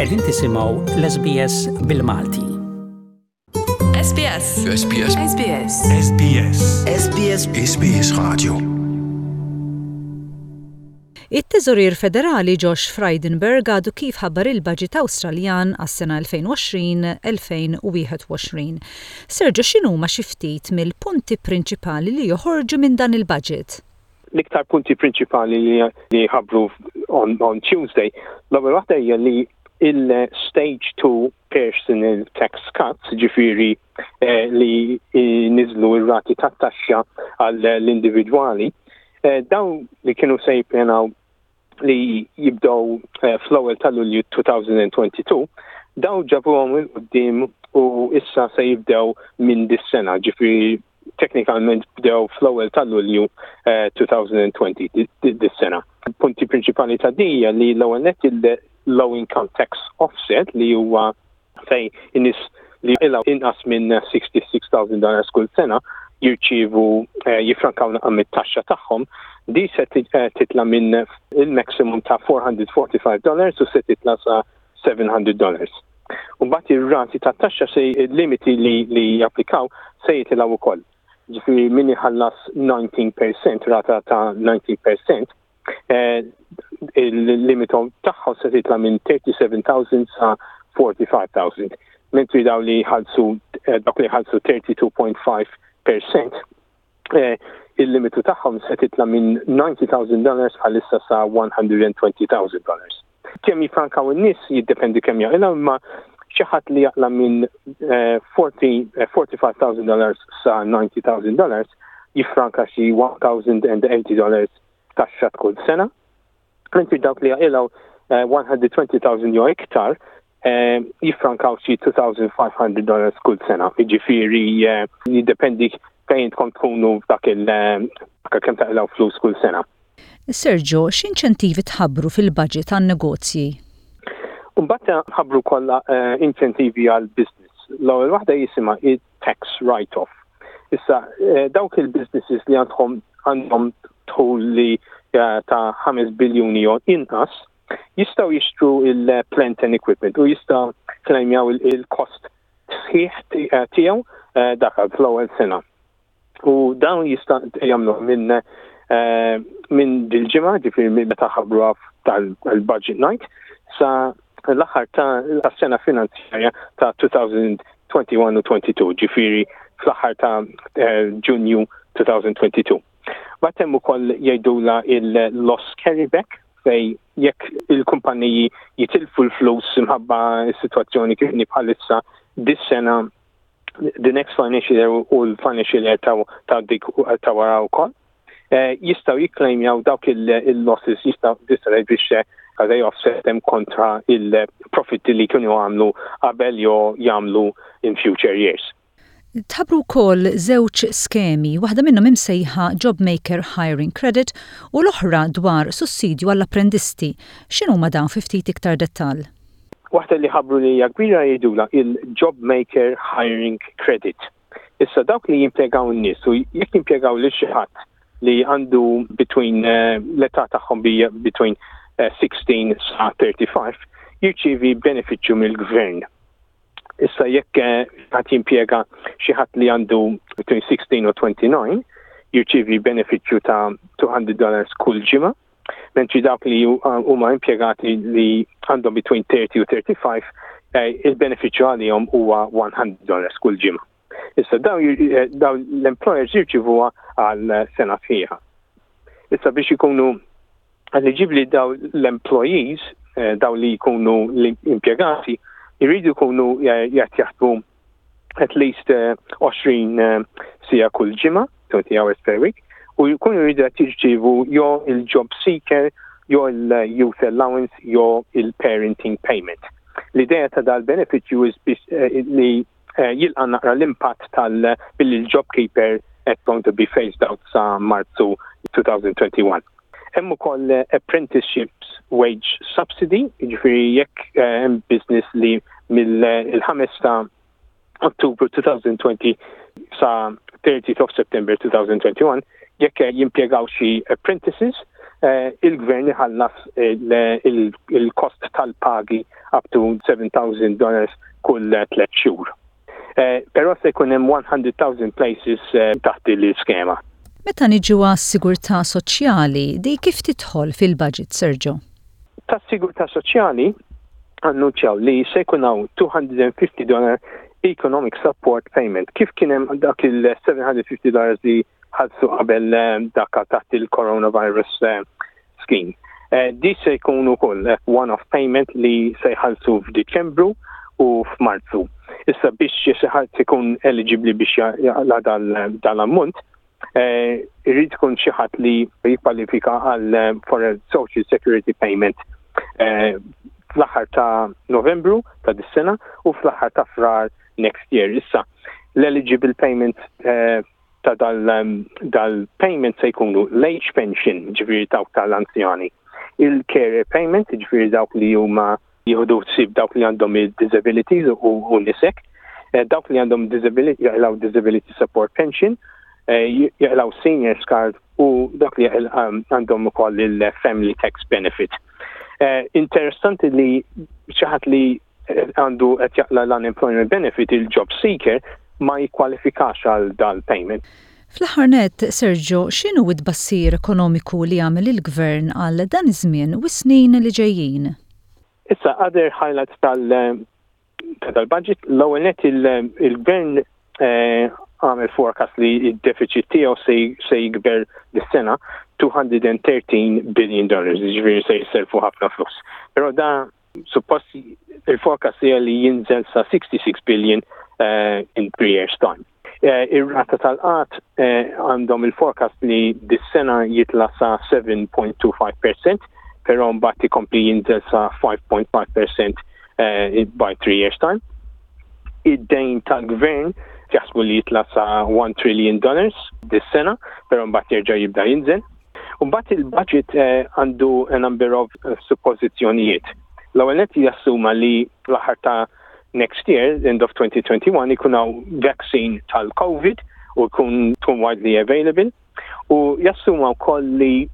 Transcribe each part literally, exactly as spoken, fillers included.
Qegħdin tisimgħu l-S B S bil-Malti. S B S. S B S. S B S. S B S. S B S. S B S Radio. It-Teżorier Federali Josh Frydenberg għadu kif ħabbar il-budget Awstraljan għas-sena elfejn u għoxrin-elfejn u wieħed u għoxrin. Sergio, x'inhuma xi ftit mill-punti prinċipali li joħorġu minn dan il-budget? L-iktar punti prinċipali li, li ħabbru on, on Tuesday, l-ewwel waħda hija li il-stage two personal tax cuts, ġifieri eh, li niżlu ir-rati tat-taxxa għall-individwali, eh, dawn li kienu se jippjanaw li jibdew eh, fl-ewwel ta' Lulju elfejn u tnejn u għoxrin, dawn ġabuhom 'il quddiem u issa se jibdew minn dis-sena, ġifieri teknikalment bdew fl-ewwel ta' Lulju elfejn u għoxrin dis-sena. Punti prinċipali ta' dija li l-ewwel net il-low income tax offset, li huwa fej in-nies li jaqilgħu inqas minn sitta u sittin elf dollars kull sena jirċievu eh, jifrankaw naqra mit-taxxa tagħhom, di se titla minn il-maximum ta' erba' mija u erbgħa u ħamsin dollars u se titla sa seba' mija dollars. U mbagħad ir-rati ta' taxxa se il-limiti li, li japplikaw se jitilgħu ukoll. Ġifieri min iħallas disa' fil-mija, rata ta' disa' fil-mija, eh, il-limitu tagħhom se titla minn seba' u tletin elf sa erbgħa u ħamsin elf. Mentri daw li ħalsu eh, dawk li ħalsu tnejn u tletin punt ħamsa fil-mija, eh, il-limitu tagħhom se titla minn disgħin elf dollars bħalissa sa mija u għoxrin elf dollars. Kemm jifrankaw in-nies jiddependi kemm jaqilgħu, imma xi ħadd li jaqla minn erbgħa u erbgħin elf dollars sa disgħin elf dollars jifranka xi elf u tmenin dollars taxxa kull sena. Mentri dawk li jaqilgħu mija u għoxrin elf jew iktar jifrankaw xi elfejn u ħames mija dollars kull sena. Jiġifieri jiddependi fejn tkun tkunu f'dak il kemm taqilgħu flus kull sena. Sergio, x'inċentivi tħabbru fil-budget għan-negozji? Mbagħad ħabbru kollha inċentivi għal business. L-ewwel waħda jisimha tax write-off. Issa dawk il-businesses li għandhom għandhom dħul li ta' ħames biljuni jew inqas jistgħu jixtru il-plant and equipment u jistgħu klejmjaw il-cost sħiħ tiegħu dak fl-ewwel sena. U dawn jista' jagħmlu minn minn dil-ġimgħa, ġifieri minn meta ħabbruha tal-budget night, sa l-aħħar ta' sena finanzjarja ta' elfejn u wieħed u għoxrin u tnejn u għoxrin, ġifieri fl-aħħar ta' Ġunju elfejn u tnejn u għoxrin. Mbagħad hemm ukoll jgħidula il-loss carryback, fej jekk il-kumpaniji jitilfu l-flus imħabba s-sitwazzjoni kif bħalissa dis-sena, the next financial year u l-financial year ta' dik ta' wara wkoll, jistgħu jikklejmjaw dawk il-losses, jistgħu tista' biex they offset them kontra il-profitti li kienu għamlu qabel jew jagħmlu in future years. Tħabbru wkoll żewġ skemi, waħda minnhom imsejħa JobMaker Hiring Credit u l-oħra dwar sussidju għall-apprendisti. X'inhuma dawn fi ftit iktar dettall? Waħda li ħabbru li hija kbira jgħidula il-JobMaker Hiring Credit. Issa dawk li jimpjegaw n-nies u jekk jimpjegaw lil xi ħadd li għandu between l-età tagħhom between sittax sa tletin u ħamsa, jirċievi benefiċċju mill-gvern. Issa jekk ħadd jimpjega xi ħadd li għandu between sittax u tnejn u għoxrin, jirċievi benefiċċju ta' mitejn dollars kull ġimgħa, mentri dawk li huma impjegati li għandhom between tletin u tletin u ħamsa, il-benefiċċju għalihom huwa mija dollars kull ġimgħa. Issa daw l-employers jirċivuha għal sena sħiħa. Issa biex ikunu eligibbli daw l-employees, daw li jkunu l-impjegati, jridu jkunu jgħat jaħdmu at least għoxrin siegħa kull ġimgħa, twenty hours per week, u jkunu jridu qed jirċievu jew il-job seeker, jew il-youth allowance, jew il-parenting payment. L-idea ta' dal-benefiċċju li jilqa' naqra l-impatt tal billi l-JobKeeper at going to be phased out sa Marzu elfejn u wieħed u għoxrin. Hemm ukoll apprenticeships wage subsidy, jiġifieri jekk hemm business li mill-ħames ta' Ottubru elfejn u għoxrin sa thirtieth of September twenty twenty-one jekk jimpjegaw xi apprentices, eh, il-gvern iħallas il-kost tal-pagi up to seven thousand dollars kull tliet xhur. Eh, però se jkun hemm one hundred thousand places eh, taħt l-iskema. Meta niġu għas-sigurtà soċjali, di kif tidħol fil-budget, Sergio? Tas-sigurtà soċjali annunċjaw li se jkun hawn two hundred fifty dollar economic support payment. Kif kien hemm dak il-seven hundred fifty dollars li ħallsu qabel eh, dak taħt il-coronavirus eh, scheme. Eh, di se jkun ukoll one-off payment li se jħallsu f'Diċembru u f'Marzu. Issa, biex xi ħadd ikun eligibli biex jaqla dal-ammont, irrid ikun xi ħadd li jikkwalifika għal for a social security payment fl-aħħar ta' Novembru ta' dis-sena u fl-aħħar ta' Frar next year. Issa, l-eligible payment eh, ta' dal-payment se jkunu l-age pension, ġifieri dawk tal-anzjani, il-carer payment, ġifieri dawk li huma jieħdu ħsieb dawk li għandhom il-disabilities u nisek, eh, dawk li għandhom disability, jaqilgħu disability support pension, eh, jaqilgħu seniors card u dak li għandhom ukoll il-family tax benefit. Interessanti li xi ħadd li għandu qed jaqla l-unemployment benefit, il-job seeker, ma jikkwalifikax għal dal-payment. Fl-aħħar net, Sergio, x'inhu t-tbassir ekonomiku li għamel il-gvern għal dan iż-żmien u snin li ġejjin? Issa, other highlights tal- tal-budget, l-ewwel net, il-gvern eh, għamel forecast li il-deficit tiegħu se jikber dis-sena two hundred thirteen billion dollars, ġifieri se jisselfu ħafna flus. Però da suppost il-forecast hija li jinżel sa sixty-six billion uh, in three years' time. Uh, Ir-rata tal-qgħad uh, għandhom il-forecast li dis-sena jitla sa seven point two five percent, però mbagħad ikompli jinżel sa five point five percent uh, by three years' time. Id-dejn tal-gvern jaħsbu li jitla sa one trillion dollars dis-sena, però mbagħad jerġa' jibda jinżel. Mbagħad il-budget għandu a number of suppożizzjonijiet. L-ewwel net, jassuma li l-aħħar ta' next year, end of twenty twenty-one, ikun hawn vaccine tal-COVID u jkun tkun widely available. U jassuma wkoll li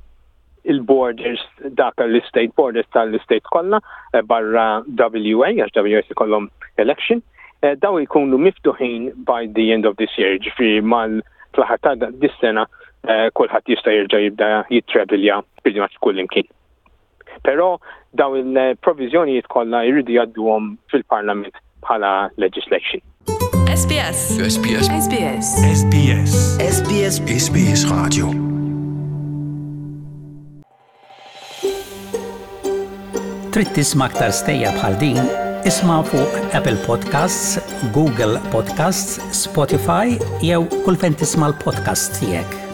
il-borders, dak l-state borders tal-state kollha eh, barra W A, għax W A ikollhom election, eh, daw jkunu miftuħin by the end of this year, ġifieri mal fl-aħħar ta' dis-sena eh, kulħadd jista' jerġa' jibda jittravilja pretty much kull imkien. Però daw il-provizjonijiet kollha jridu jgħadduhom fil-Parlament bħala legislation. S B S. S B S. S B S. S B S. S B S. S B S Radio. Trid tisma' aktar stejjer bħal din? Isma' fuq Apple Podcasts, Google Podcasts, Spotify jew kull fejn tisma' l-podcast tiegħek.